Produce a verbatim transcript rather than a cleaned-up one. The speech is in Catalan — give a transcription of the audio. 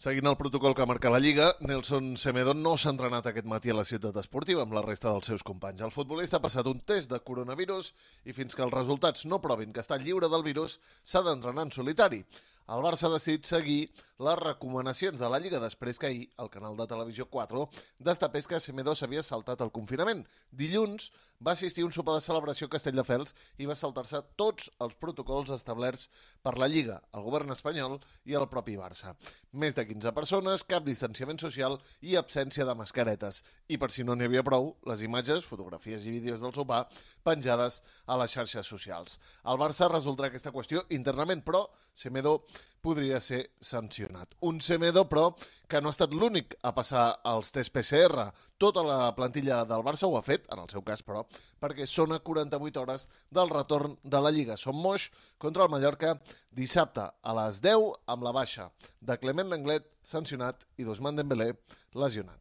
Seguint el protocol que marca la Lliga, Nelson Semedo no s'ha entrenat aquest matí a la ciutat esportiva amb la resta dels seus companys. El futbolista ha passat un test de coronavirus i fins que els resultats no provin que està lliure del virus, s'ha d'entrenar en solitari. El Barça ha decidit seguir les recomanacions de la Lliga després que ahir el canal de televisió quatre destapés que Semedo s'havia saltat el confinament. Dilluns va assistir a un sopar de celebració a Castelldefels i va saltar-se tots els protocols establerts per la Lliga, el govern espanyol i el propi Barça. Més de quinze persones, cap distanciament social i absència de mascaretes. I per si no n'hi havia prou, les imatges, fotografies i vídeos del sopar penjades a les xarxes socials. El Barça resoldrà aquesta qüestió internament, però Semedo podria ser sancionat. Un Semedo, però, que no ha estat l'únic a passar els tests P C R. Tota la plantilla del Barça ho ha fet, en el seu cas, però, perquè són a quaranta-vuit hores del retorn de la Lliga. Som Moix contra el Mallorca dissabte a les deu amb la baixa de Clement Lenglet, sancionat, i d'Ousmane Dembélé, lesionat.